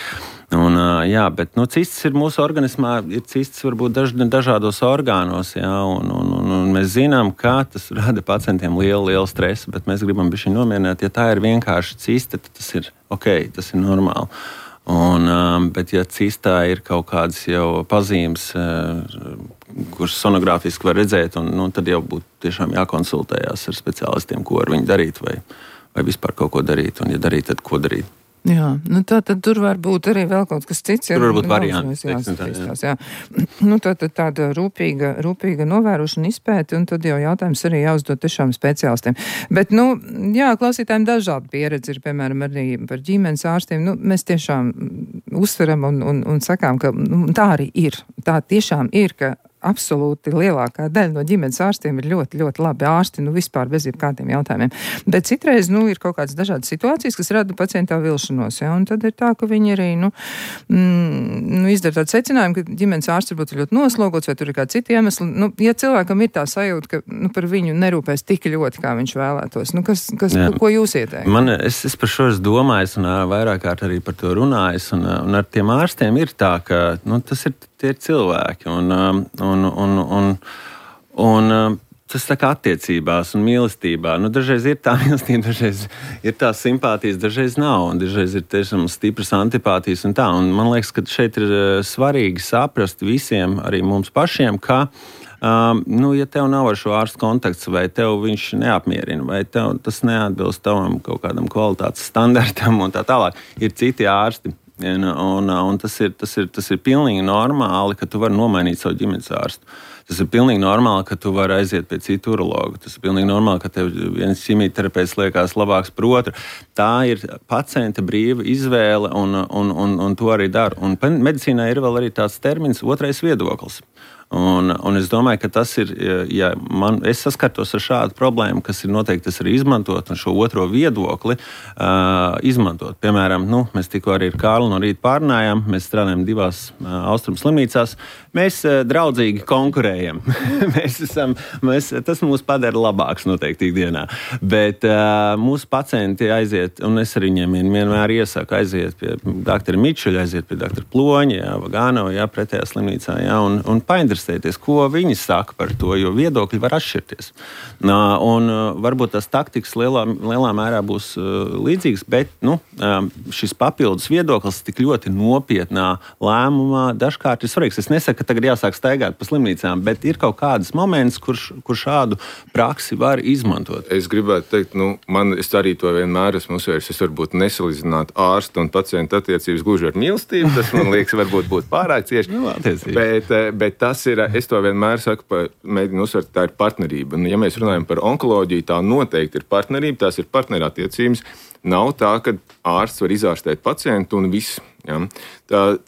Bet cistas ir mūsu organismā, ir cistas varbūt dažādos orgānos, un mēs zinām, kā tas rada pacientiem lielu stresu, bet mēs gribam bišķi nomierināt, ja tā ir vienkārši cista, tad tas ir ok, tas ir normāli. Bet ja cistā ir kaut kādas jau pazīmes, kuras sonogrāfiski var redzēt, tad jau būtu tiešām jākonsultējās ar speciālistiem, ko ar viņu darīt vai vispār kaut ko darīt, un ja darīt, tad ko darīt. Jā, tad tur var būt arī vēl kaut kas cits. Tur var būt varianti. Tāda rūpīga novērošana izpēti, un tad jau jautājums arī jāuzdod tiešām speciālistiem. Bet, klausītājiem dažādi pieredzi ir, piemēram, arī par ģimenes ārstiem. Mēs tiešām uzsveram un sakām, ka tā arī ir. Tā tiešām ir, ka absolūti lielākā daļa no ģimenes ārstiem ir ļoti, ļoti labi ārsti, vispār bez jebkādiem jautājumiem. Bet citreiz, ir kaut kādas dažādas situācijas, kas rada pacientā vilšanos, un tad ir tā, ka viņi arī, izdara tādu secinājumu, ka ģimenes ārsts varbūt ir ļoti noslogots, vai tur ir kādi citi iemesli. Ja cilvēkam ir tā sajūta, ka par viņu nerūpēs tik ļoti, kā viņš vēlētos, ko jūs ieteikt? Es par šo esmu domājis un vairāk kārt arī par to runājis, un ar tiem ārstiem ir tā, ka tie ir cilvēki, un tas tā kā attiecībās un mīlestībā. Dažreiz ir tā mīlestība, dažreiz ir tā simpātijas, dažreiz nav, un dažreiz ir tiešām stipras antipātijas un tā. Un man liekas, ka šeit ir svarīgi saprast visiem, arī mums pašiem, ka ja tev nav ar šo ārstu kontakts, vai tev viņš neapmierina, vai tev tas neatbilst tavam kaut kādam kvalitātes standartam un tā tālāk, ir citi ārsti. Un tas ir pilnīgi normāli, ka tu vari nomainīt savu ģimenes ārstu. Tas ir pilnīgi normāli, ka tu vari aiziet pie citu urologa. Tas ir pilnīgi normāli, ka tev viens ķimijterapeits liekas labāks par otru. Tā ir pacienta brīva izvēle, un to arī dara. Un medicīnā ir vēl arī tāds termins otrais viedoklis. Un es domāju, ka tas ir, ja es saskartos ar šādu problēmu, kas ir noteikti tas arī izmantot un šo otro viedokli izmantot. Piemēram, mēs tikko arī ar Kārli no rīta pārunājām, mēs strādājam 2 austrumu slimnīcās, mēs draudzīgi konkurējam. Tas mūs padara labāks noteikti ikdienā. Bet mūsu pacienti aiziet, un es arī viņiem vienmēr iesaku aiziet pie doktora Mičuļa, aiziet pie doktora Ploņa, Vagānova, pretējā slimnīcā, un painteresēties, ko viņi saka par to, jo viedokļi var atšķirties. Un varbūt tas taktikas lielā mērā būs līdzīgs, bet šis papildus viedoklis tik ļoti nopietnā lēmumā dažkārt ir svarīgs. Es nesaku, ka tagad jāsāk staigāt pa slimnīcām, bet ir kaut kāds moments, kur šādu praksi var izmantot. Es gribētu teikt, es arī to vienmēr esmu uzsvērs. Es varbūt nesalīdzinātu ārstu un pacientu attiecības gluži ar mīlestību. Tas man liekas, varbūt būtu pārāk cieši. Bet tas ir, es to vienmēr saku, mēģinu uzsvērt, tā ir partnerība. Un, ja mēs runājam par onkoloģiju, tā noteikti ir partnerība, tās ir partnerattiecības. Nav tā, ka ārsts var izārstēt pacientu un viss. Ja?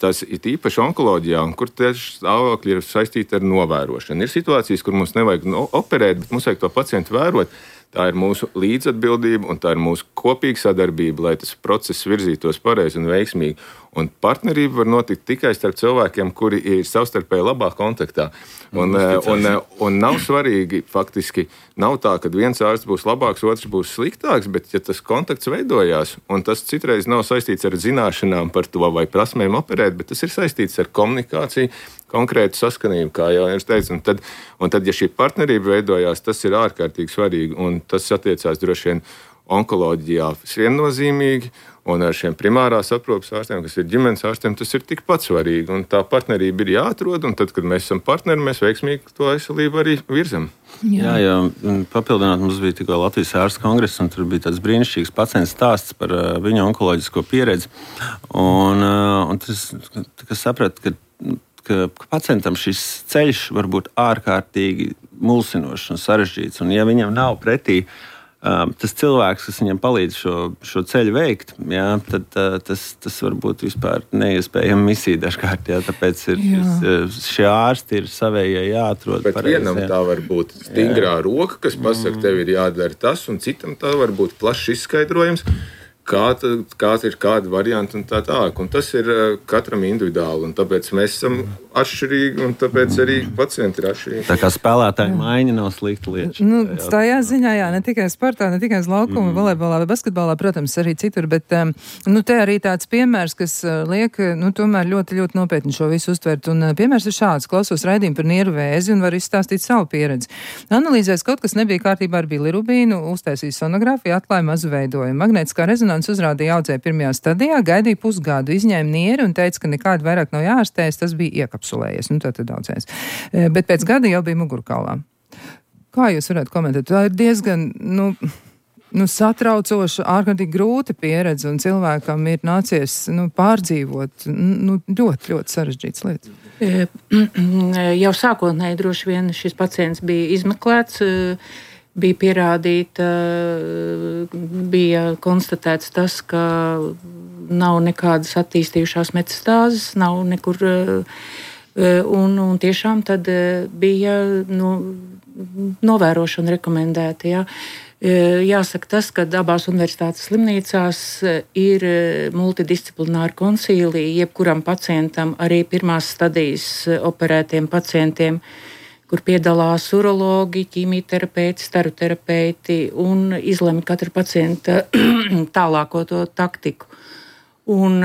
Tas ir īpaši onkoloģijā, kur tieši stāvokļi ir saistīti ar novērošanu. Ir situācijas, kur mums nevajag operēt, bet mums vajag to pacientu vērot. Tā ir mūsu līdzatbildība un tā ir mūsu kopīga sadarbība, lai tas process virzītos pareizi un veiksmīgi. Un partnerība var notikt tikai starp cilvēkiem, kuri ir savstarpēji labā kontaktā. Un nav svarīgi, faktiski, nav tā, ka viens ārsts būs labāks, otrs būs sliktāks, bet ja tas kontakts veidojās, un tas citreiz nav saistīts ar zināšanām par to vai prasmēm operēt, bet tas ir saistīts ar komunikāciju, konkrētu saskanību, kā jau es teicu. Un tad, ja šī partnerība veidojās, tas ir ārkārtīgi svarīgi, un tas attiecās droši vien onkoloģijā viennozīmīgi, un ar šiem primārās aprūpes ārstiem, kas ir ģimenes ārstiem, tas ir tikpat svarīgi. Un tā partnerība ir jāatrod, un tad, kad mēs esam partneri, mēs veiksmīgi to veselību arī virzam. Jā, papildināt, mums bija tikko Latvijas ārstu kongress, un tur bija tāds brīnišķīgs pacients stāsts par viņa onkoloģisko pieredzi. Un tas saprat, ka pacientam šis ceļš var būt ārkārtīgi mulsinošs un sarežģīts. Un ja viņam nav pretī tas cilvēks, kas viņam palīdz šo ceļu veikt, tad tas var būt vispār neiespējama misija dažkārt. Tāpēc šie ārsti ir savējie jāatrod. Bet vienam tā var būt stingrā roka, kas pasaka, tev ir jādara tas, un citam tā var būt plašs izskaidrojums. Kāds ir kāda varianta un tā tālāk. Un tas ir katram individuāli, un tāpēc mēs esam atšķirīgi, un tāpēc arī pacienti ir atšķirīgi. Tā kā spēlētāja maiņa nav slikta lieta. Tajā ziņā, ne tikai sportā, ne tikai uz laukuma, volejbolā vai basketbolā, protams, arī citur, bet te arī tāds piemērs, kas liek, tomēr ļoti, ļoti nopietni šo visu uztvert. Un piemērs ir šāds: klausos raidījumu par nieru vēzi un var izstāstīt savu pieredzi. Analīzēs kaut kas nebija kārtībā ar bilirubīnu, uztaisīja sonogrāfiju, atklāja mazu veidojumu. Magnētiskā rezonanse uzrādīja audzēju pirmajā stadijā, gaidīja pusgadu, izņēma nieri un teica, ka nekādi vairāk nav jāārstējas, tas bija iekapsulējies. Tad audzējs. Bet pēc gada jau bija mugurkaulā. Kā jūs varētu komentēt? Tā ir diezgan, satraucoša, ārkārtīgi grūta pieredze, un cilvēkam ir nācies, pārdzīvot, ļoti, ļoti sarežģītas lietas. Jau sākotnēji droši vien šis pacients bija izmeklēts, bija pierādīta, bija konstatēts tas, ka nav nekādas attīstījušās metastāzes, nav nekur, un tiešām tad bija novērošana rekomendēta. Ja. Jāsaka tas, ka abās universitātes slimnīcās ir multidisciplināri konsīliji, jebkuram pacientam, arī pirmās stadijas operētiem pacientiem, kur piedalās urologi, ķīmijterapeiti, staroterapeiti un izlemj katra pacienta tālāko to taktiku. Un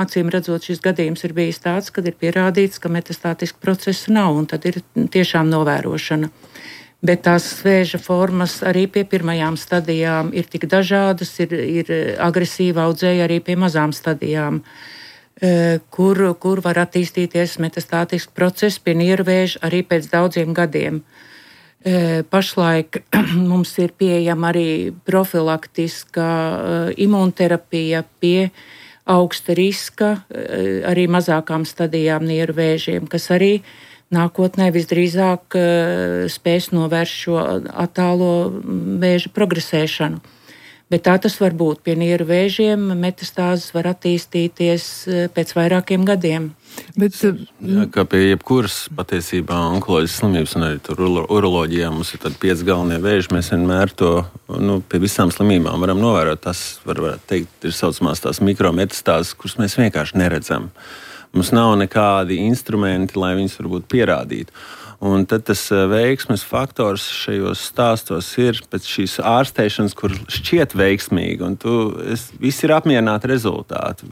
acīm redzot, šis gadījums ir bijis tāds, kad ir pierādīts, ka metastātiska procesa nav, un tad ir tiešām novērošana. Bet tās vēža formas arī pie pirmajām stadijām ir tik dažādas, ir agresīva audzēja arī pie mazām stadijām, kur var attīstīties metastātisks process pie niervēža arī pēc daudziem gadiem. Pašlaik mums ir pieejama arī profilaktiska imunterapija pie augsta riska, arī mazākām stadijām niervēžiem, kas arī nākotnē visdrīzāk spēs novērst šo attālo vēža progresēšanu. Bet tā tas var būt. Pie nieru vēžiem metastāzes var attīstīties pēc vairākiem gadiem. Bet, kā pie jebkuras patiesībā onkoloģiskas slimības un arī tur uroloģijā mums ir 5 galvenie vēži. Mēs vienmēr to pie visām slimībām varam novērot. Tas varētu teikt, ir saucamās tās mikrometastāzes, kuras mēs vienkārši neredzam. Mums nav nekādi instrumenti, lai viņus varbūt pierādītu. Un tad tas veiksmes faktors šajos stāstos ir pēc šīs ārstēšanas, kur šķiet veiksmīgi, un visi ir apmierināti rezultāti.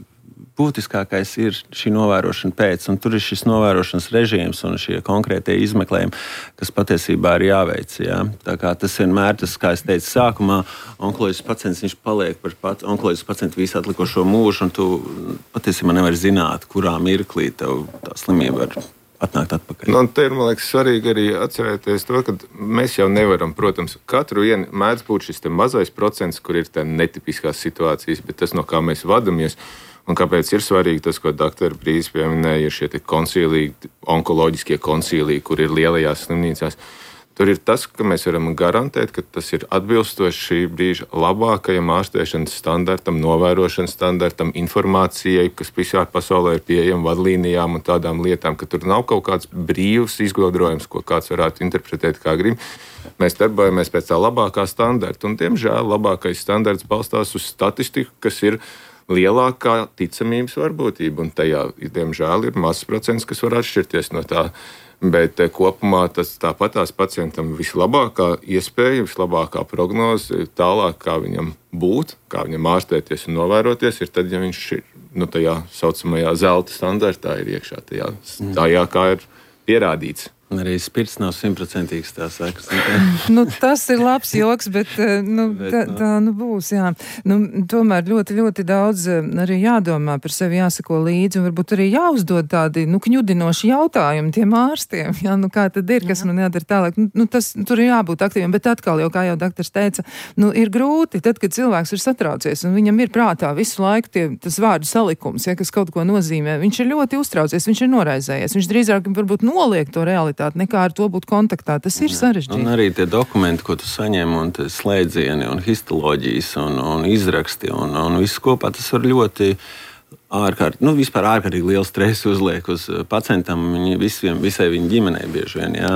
Būtiskākais ir šī novērošana pēc, un tur ir šis novērošanas režīms un šie konkrētie izmeklējumi, kas patiesībā ir jāveic. Ja? Tā kā tas vienmēr, kā es teicu sākumā, onkoloģisks pacients, viņš paliek par onkoloģisku pacientu visu atlikušo mūžu, un tu patiesībā nevari zināt, kurā mirklī tev tā slimība var atnākt atpakaļ. Te ir, man liekas, svarīgi arī atcerēties to, ka mēs jau nevaram, protams, katru vienu mēdz būt šis mazais procents, kur ir tā netipiskās situācijas, bet tas, no kā mēs vadamies, un kāpēc ir svarīgi tas, ko doktora Brīsīs pieminēja, ir šie koncīliji, onkoloģiskie koncīliji, kur ir lielajās slimnīcās. Tur ir tas, ka mēs varam garantēt, ka tas ir atbilstoši šī brīža labākajam ārstēšanas standartam, novērošanas standartam, informācijai, kas visā pasaulē ir pieejama, vadlīnijām un tādām lietām, ka tur nav kaut kāds brīvs izgudrojums, ko kāds varētu interpretēt kā grib. Mēs darbojamies pēc tā labākā standarta, un, diemžēl, labākais standarts balstās uz statistiku, kas ir lielākā ticamības varbūtība, un tajā, diemžēl, ir mazs procents, kas var atšķirties no tā. Bet kopumā tas tāpatās pacientam vislabākā iespēja, vislabākā prognoze tālāk, kā viņam būt, kā viņam ārstēties un novēroties, ir tad, ja viņš ir tajā saucamajā zelta standartā ir iekšā, tajā kā ir pierādīts. Un arī spirts nav 100% tā sekas. Tas ir labs joks, bet tā būs, jā. Tomēr ļoti, ļoti daudz arī jādomā par sevi, jāsako līdzi, un varbūt arī jāuzdod tādi, kņudinoši jautājumi tiem ārstiem, jā, kā tad ir, kas man jādara tālāk. Tur ir jābūt aktīviem, bet atkal jau, kā jau doktors teica, ir grūti, tad, kad cilvēks ir satraucies, un viņam ir prātā visu laiku tas vārdu salikums, ja, kas kaut ko nozīmē. Viņš ir ļoti uztraucies, viņš ir noraizējies, viņš drīzāk varbūt noliek to realitāti, nekā ar to būt kontaktā. Tas ir sarežģīti. Un arī tie dokumenti, ko tu saņem, un slēdzieni, un histoloģijas, un izraksti, un viss kopā, tas var ļoti vispār ārkārtīgi lielu stresu uzliek uz pacientam, visai viņa ģimenei bieži vien. Jā,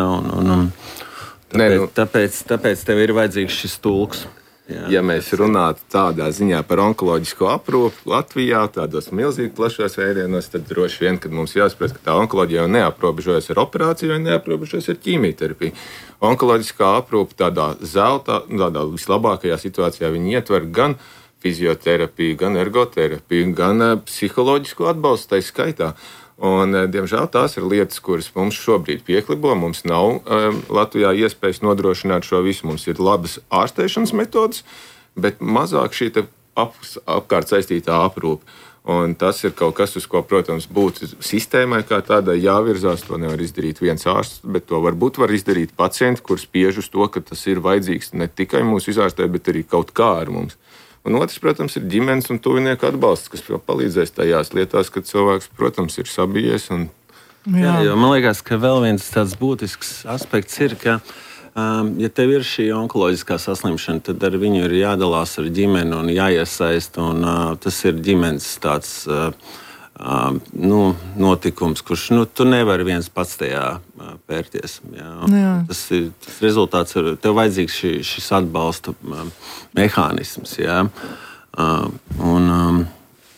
tāpēc tev ir vajadzīgs šis tulks. Jā, ja mēs runātu tādā ziņā par onkoloģisko aprūpi Latvijā, tādos milzīgi plašos vēdienos, tad droši vien, kad mums jāsaprot, ka tā onkoloģija jau neaprobežojas ar operāciju, vai neaprobežojas ar ķīmijterapiju. Onkoloģiskā aprūpe tādā vislabākajā situācijā viņi ietver gan fizioterapiju, gan ergoterapiju, gan psiholoģisko atbalstu tai skaitā. Un, diemžēl tās ir lietas, kuras mums šobrīd pieklibo. Mums nav Latvijā iespējas nodrošināt šo visu. Mums ir labas ārstēšanas metodas, bet mazāk šī apkārt saistītā aprūpe. Un tas ir kaut kas, uz ko, protams, būtu sistēmai kā tādai jāvirzās. To nevar izdarīt viens ārsts, bet to varbūt var izdarīt pacienti, kurus spiež uz to, ka tas ir vajadzīgs ne tikai mūsu izārstēt, bet arī kaut kā ar mums. Un otrs, protams, ir ģimenes un tuvinieku atbalsts, kas palīdzēs tajās lietās, kad cilvēks, protams, ir sabijies. Jā, man liekas, ka vēl viens tāds būtisks aspekts ir, ka, ja tev ir šī onkoloģiskā saslimšana, tad ar viņu ir jādalās ar ģimeni un jāiesaist. Un, tas ir ģimenes tāds notikums, kurš tu nevari viens pats tajā pērties. Jā. Tas rezultāts ir, tev vajadzīgs šis atbalsta mehānisms. Jā.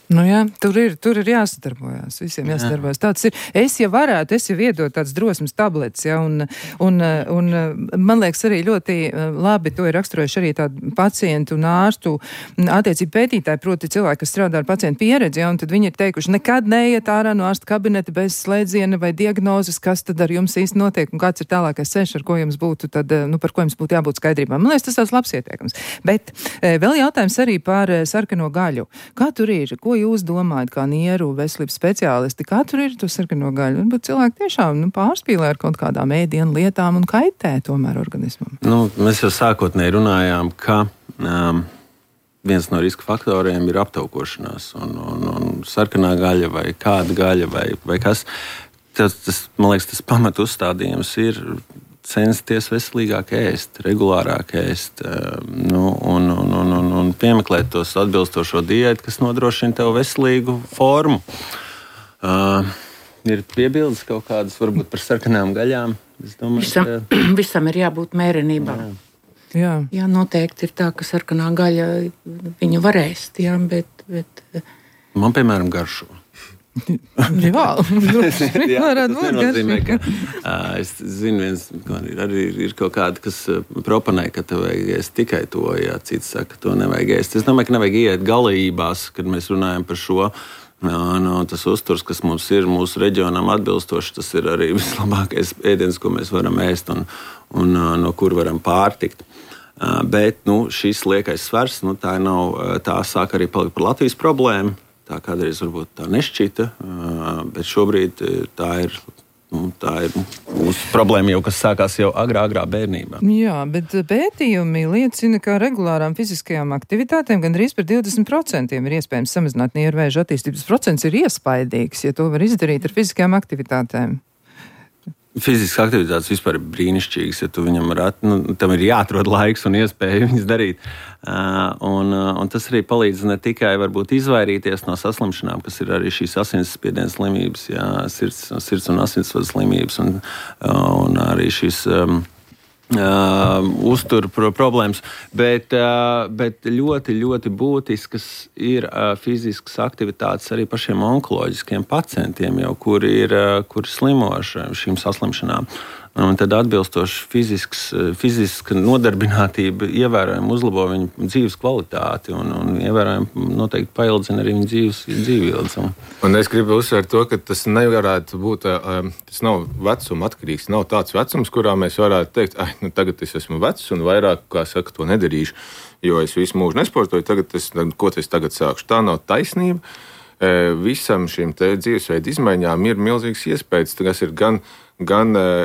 Tur ir jāsadarbojas, visiem jāsadarbojas. Tāds ir, es jau iedot tāds drosmes tablets, ja, un man liekas arī ļoti labi, to ir raksturojuši arī tādu pacientu un ārstu attiecību pētītāji, proti cilvēki, kas strādā ar pacientu pieredzi, ja, un tad viņi ir teikuši, nekad neiet ārā no ārsta kabineta bez slēdziena vai diagnozes, kas tad ar jums īsti notiek un kāds ir tālākais ceļš, ar ko jums būtu tad, par ko jums būtu jābūt skaidrībā. Man liekas, tas tāds labs ieteikums. Bet vēl jautājums arī par sarkano gaļu. Kā tur ir? Ko jūs domājat, kā nieru veselības speciālisti, kā tur ir to sarkano gaļu? Varbūt cilvēki tiešām pārspīlē ar kaut kādām ēdienu lietām un kaitē tomēr organismam. Mēs jau sākotnēji runājām, ka viens no riska faktoriem ir aptaukošanās. Un sarkanā gaļa vai kāda gaļa vai kas. Man liekas, tas pamat uzstādījums ir censties veselīgāk ēst, regulārāk ēst. Un piemeklēt tos atbilstošo diētu, kas nodrošina tev veselīgu formu. Ir piebildes kaut kādas varbūt par sarkanām gaļām. Es domāju, visam ir jābūt mērenībā. Jā, noteikti ir tā, ka sarkanā gaļa viņu var ēst, jā, bet... Man, piemēram, garšo. Tas nozīmē, ka es zinu, arī ir kaut kādi, kas proponē, ka tev vajag ēst tikai to, ja cits saka, ka to nevajag ēst. Es domāju, ka nevajag iet galībās, kad mēs runājam par šo. Tas uzturs, kas mums ir mūsu reģionam atbilstoši, tas ir arī vislabākais ēdiens, ko mēs varam ēst un no kur varam pārtikt. Bet šis liekais svars, tā sāk arī palikt par Latvijas problēmu. Tā kādreiz varbūt tā nešķita, bet šobrīd tā ir mūsu problēma jau, kas sākās jau agrā bērnībā. Jā, bet pētījumi liecina, ka regulārām fiziskajām aktivitātēm gandrīz par 20% ir iespējams samazināt niervēžu attīstības procents ir iespaidīgs, ja to var izdarīt ar fiziskajām aktivitātēm. Fiziskas aktivitātes vispār ir brīnišķīgas, ja tu viņam tam ir jāatrod laiks un iespēja viņas darīt. Un tas arī palīdz ne tikai varbūt izvairīties no saslimšanām, kas ir arī šīs asinsspiediena slimības, sirds un asinsvadu slimības un arī šīs uzturu problēmas, bet ļoti, ļoti būtiskas ir fiziskas aktivitātes arī pašiem onkoloģiskiem pacientiem, jau, kuri slimo ar šīm saslimšanām. Un tad atbilstoši fiziska nodarbinātība ievērojami uzlabo viņu dzīves kvalitāti un ievērojami noteikti paildzina arī viņu dzīvības. Un es gribu uzsvērt to, ka tas nevarētu būt, tas nav vecuma atkarīgs, nav tāds vecums, kurā mēs varētu teikt, tagad es esmu vecs un vairāk, kā saka, to nedarīšu, jo es visu mūžu nesportoju, ko es tagad sākšu. Tā nav taisnība. Visam šīm dzīvesveidu izmaiņām ir milzīgs iespējas, kas ir gan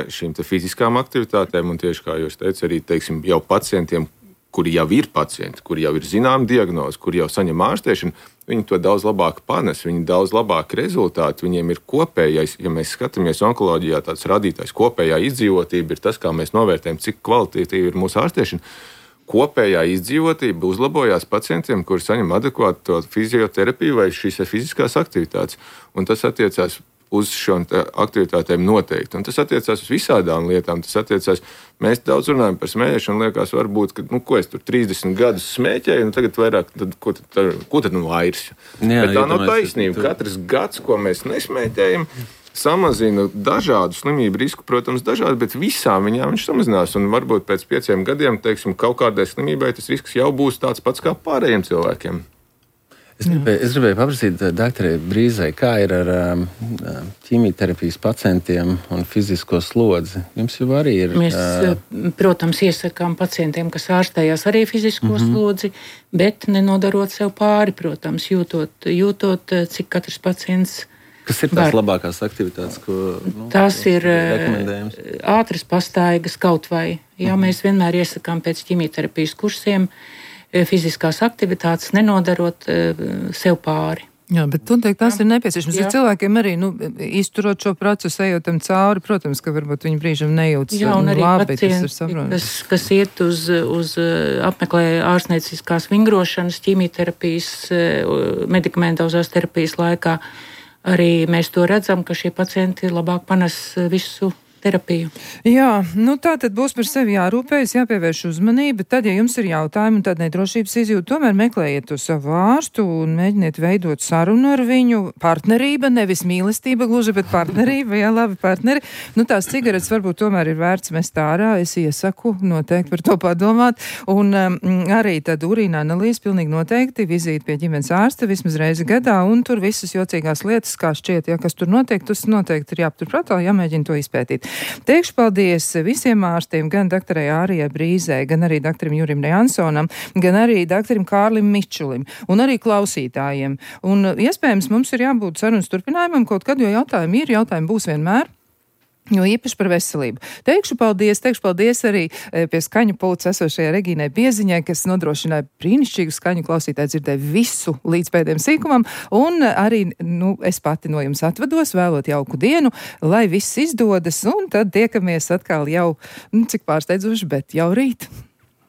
šīm fiziskām aktivitātēm, un tieši kā jūs teicat, arī jau pacientiem, kuri jau ir pacienti, kuri jau ir zināma diagnoze, kuri jau saņem ārstēšanu, viņi to daudz labāk panes, viņi daudz labāk rezultāti, viņiem ir kopējais, ja mēs skatāmies onkoloģijā, tāds radītājs kopējā izdzīvotība ir tas, kā mēs novērtējam, cik kvalitatīva ir mūsu ārstēšana. Kopējā izdzīvotība uzlabojās pacientiem, kuri saņem adekvātu fizioterapiju vai šīs fiziskās aktivitātes. Un tas attiecās uz šīm aktivitātēm noteikti. Un tas attiecās uz visādām lietām. Mēs daudz runājam par smēķēšanu, liekas, varbūt, ka, ko es tur 30 gadus smēķēju, un tagad vairāk, ko tad vairs? Bet tā nav taisnība. Katrs gads, ko mēs nesmēķējam, samazina dažādu slimību risku, protams, dažādi, bet visām viņām viņš samazinās. Un varbūt pēc 5 gadiem, kaut kādai slimībai tas risks jau būs tāds pats kā pārējiem cilvēkiem. Es gribēju paprasīt doktorai Brīzai, kā ir ar ķīmijterapijas pacientiem un fizisko slodzi. Jums jau arī ir... Mēs, protams, iesakām pacientiem, kas ārstējās arī fizisko slodzi, bet nenodarot sev pāri, protams, jūtot cik katrs pacients... Kas ir tās labākās aktivitātes, ko tās ir rekomendējams? Ātras pastaigas kaut vai. Jā, mēs vienmēr iesakām pēc ķīmijterapijas kursiem fiziskās aktivitātes, nenodarot sev pāri. Jā, bet tās ir nepieciešams. Ja cilvēkiem arī, izturot šo procesu, ejot tam cauri, protams, ka varbūt viņi brīžam nejūtas labi. Jā, un arī pacienti, kas iet uz apmeklē ārstnieciskās vingrošanas, ķīmijterapijas, medikamentozās terapijas laikā, arī mēs to redzam, ka šie pacienti labāk panes visu terapiju. Jā, tā tad būs par sevi jārūpējas, jāpievērš uzmanība. Tad, ja jums ir jautājumi un tāda nedrošības izjūta, tomēr meklējiet to savu ārstu un mēģiniet veidot sarunu ar viņu. Partnerība, nevis mīlestība gluži, bet partnerība, jā, labi partneri. Tās cigaretes varbūt tomēr ir vērts mest ārā. Es iesaku noteikti par to padomāt. Un arī tad urīna analīze pilnīgi noteikti vizīti pie ģimenes ārsta vismaz reizi gadā, un tur visas jocīgās lietas, kā šķiet, kas tur notiek, tas noteikti ir jāpaturprātā, jāmēģina to izpētīt. Teikšu paldies visiem ārstiem, gan doktorai Ārijai Brīzai, gan arī doktoram Jurim Jansonam, gan arī doktoram Kārlim Mičulim un arī klausītājiem. Un iespējams mums ir jābūt sarunas turpinājumam kaut kad, jo jautājumi būs vienmēr. Jo īpaši par veselību. Teikšu paldies arī pie skaņu pulca esošajai Regīnai Bieziņai, kas nodrošināja brīnišķīgu skaņu, klausītāji dzirdēja visu līdz pēdējiem sīkumam, un arī, es pati no jums atvados, vēlot jauku dienu, lai viss izdodas, un tad tiekamies atkal jau, cik pārsteidzoši, bet jau rīt.